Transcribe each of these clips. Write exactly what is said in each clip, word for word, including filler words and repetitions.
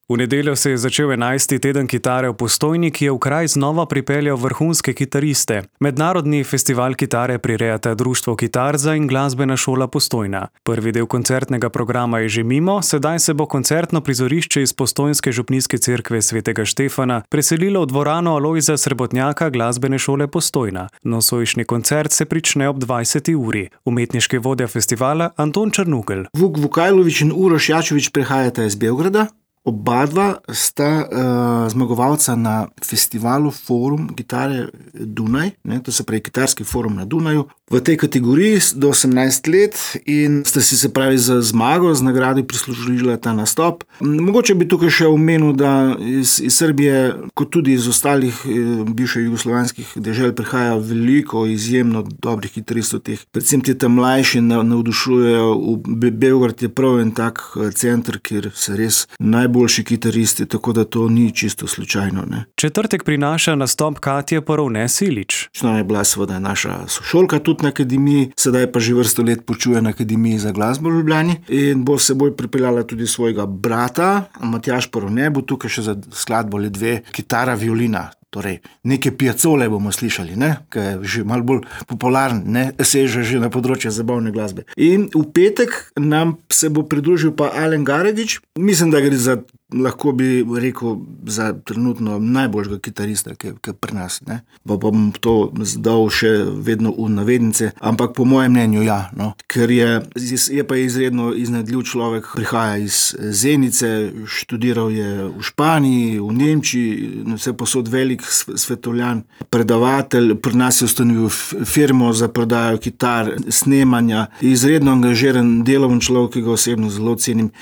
V nedeljo se je začel enajsti teden kitare v Postojni, ki je v kraj znova pripeljal vrhunske kitariste. Mednarodni festival kitare prirejata Društvo Kitarza in Glasbena šola Postojna. Prvi del koncertnega programa je že mimo, sedaj se bo koncertno prizorišče iz postojnske župnijske cerkve svetega Štefana preselilo v dvorano Alojza Srebotnjaka Glasbene šole Postojna. Nocojšnji koncert se prične ob dvajseti uri. Umetniški vodja festivala Anton Črnugelj. Vuk Vukajlović in Uroš Jačović prihajata iz Beograda. Oba dva sta uh, zmagovalca na festivalu Forum Gitare Dunaj, ne, to se pravi kitarski forum na Dunaju, v tej kategoriji do osemnajst let in sta si se pravi za zmago, z nagradi prislužila ta nastop. Mogoče bi tukaj še omenil, da iz, iz Srbije, kot tudi iz ostalih eh, bivših jugoslovanskih dežel prihaja veliko izjemno dobrih kitaristov, teh, predvsem ti tam mlajši navdušujejo. V Beograd je prav en tak center, kjer se res najboljši kitaristi, tako da to ni čisto slučajno. Ne. Četrtek prinaša nastop Katje Porovne Silič. Ona je bila seveda naša sošolka tudi na akademiji, sedaj pa že vrsto let počuje na Akademiji za glasbo v Ljubljani in bo s seboj pripeljala tudi svojega brata, Matjaž Porovne, bo tukaj še za skladbo le dve, kitara, violina. Torej, neke piacole bomo slišali, ne? Ki je že malo bolj popularen, ne? Seže že na področje zabavne glasbe. In v petek nam se bo pridružil pa Alen Garedič. Mislim, da gre za, lahko bi rekel, za trenutno najboljšega kitarista, ki je pri nas. Ne? Pa bom to zdal še vedno v navednice, ampak po mojem mnenju ja. No? Ker je, je pa izredno iznajdljiv človek, prihaja iz Zenice, študiral je v Španiji, v Nemčiji, vse posod velik svetovljan, predavatelj, pri nas je ustanovil firmo za prodajo kitar, snemanja, izredno angažiran, deloven človek, ki ga osebno zelo cenim.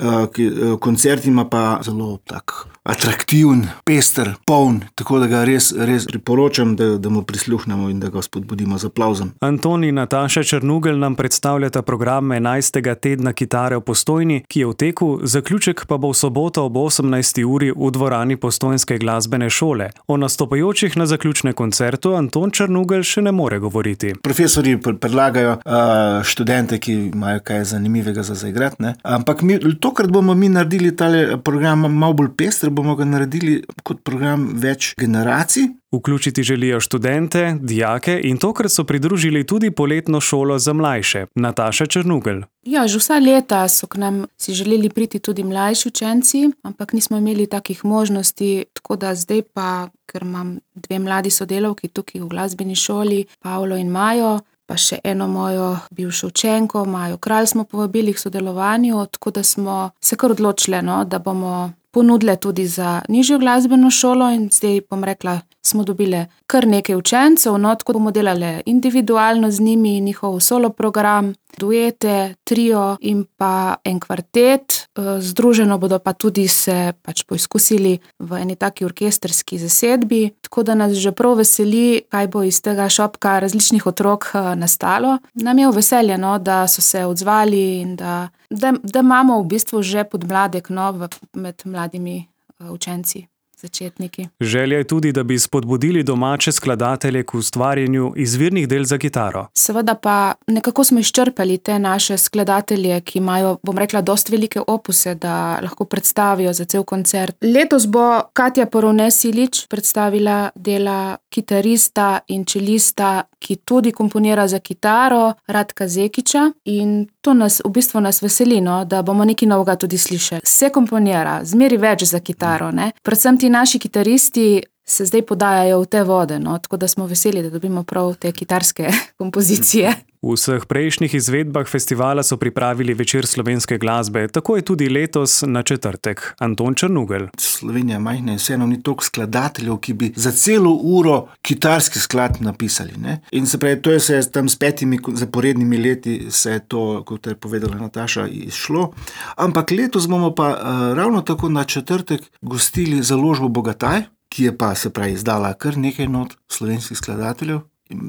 Koncert ima pa zelo tak atraktiven, pester, poln, tako da ga res, res priporočam, da, da mu prisluhnemo in da ga spodbudimo z aplavzom. Anton in Nataša Črnugelj nam predstavljata program enajstega tedna kitare v Postojni, ki je v teku, zaključek pa bo v soboto ob osemnajsti uri v dvorani Postojnske glasbene šole. O nastopajočih na zaključne koncertu Anton Črnugelj še ne more govoriti. Profesorji predlagajo uh, študente, ki imajo kaj zanimivega za zaigrati, ne? Ampak mi, tokrat bomo mi naredili tale program malo bolj pester, bomo ga naredili kot program več generacij. Vključiti želijo študente, dijake in tokrat so pridružili tudi poletno šolo za mlajše. Nataša Črnugelj. Ja, že vsa leta so k nam si želeli priti tudi mlajši učenci, ampak nismo imeli takih možnosti, tako da zdaj pa, ker imam dve mladi sodelavki tukaj v glasbeni šoli, Pavlo in Majo, pa še eno mojo bivšo učenko, Majo Kralj, smo povabili k sodelovanju, tako da smo se kar odločili, no, da bomo ponudile tudi za nižjo glasbeno šolo in zdaj bom rekla, smo dobile kar nekaj učencev, no, tako bomo delali individualno z njimi, njihov solo program, duete, trio in pa en kvartet. Združeno bodo pa tudi se pač poizkusili v eni taki orkestrski zasedbi, tako da nas že prav veseli, kaj bo iz tega šopka različnih otrok nastalo. Nam je v veselje, no, da so se odzvali in da, da, da imamo v bistvu že podmladek, no, med mladimi učenci. Začetniki. Želja je tudi, da bi spodbudili domače skladatelje k ustvarjanju izvirnih del za kitaro. Seveda pa nekako smo izčrpali te naše skladatelje, ki imajo, bom rekla, dosti velike opuse, da lahko predstavijo za cel koncert. Letos bo Katja Porovne Silič predstavila dela kitarista in čelista, ki tudi komponira za kitaro, Radka Zekića, in to nas, v bistvu nas veseli, no, da bomo nekaj novega tudi slišali. Se komponira, zmeri več za kitaro, ne. Predvsem ti naši kitaristi se zdaj podajajo v te vode, no, tako da smo veseli, da dobimo prav te kitarske kompozicije. V vseh prejšnjih izvedbah festivala so pripravili večer slovenske glasbe, tako je tudi letos na četrtek. Anton Črnugelj. Slovenija majhna in vseeno ni toliko skladateljev, ki bi za celo uro kitarski sklad napisali. Ne? In se pravi, to je se tam s petimi zaporednimi leti se je to, kot je povedala Nataša, izšlo. Ampak letos bomo pa uh, ravno tako na četrtek gostili založbo Bogataj, ki je pa se pravi izdala kar nekaj not slovenskih skladateljev.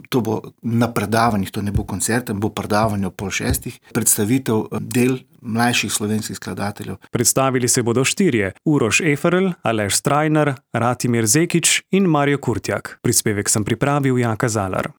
To bo na predavanjih, to ne bo koncert, bo predavanje o pol šestih, predstavitev del mlajših slovenskih skladateljev. Predstavili se bodo štirje: Uroš Eferl, Aleš Strajnar, Ratimir Zekić in Mario Kurtjak. Prispevek sem pripravil Jaka Zalar.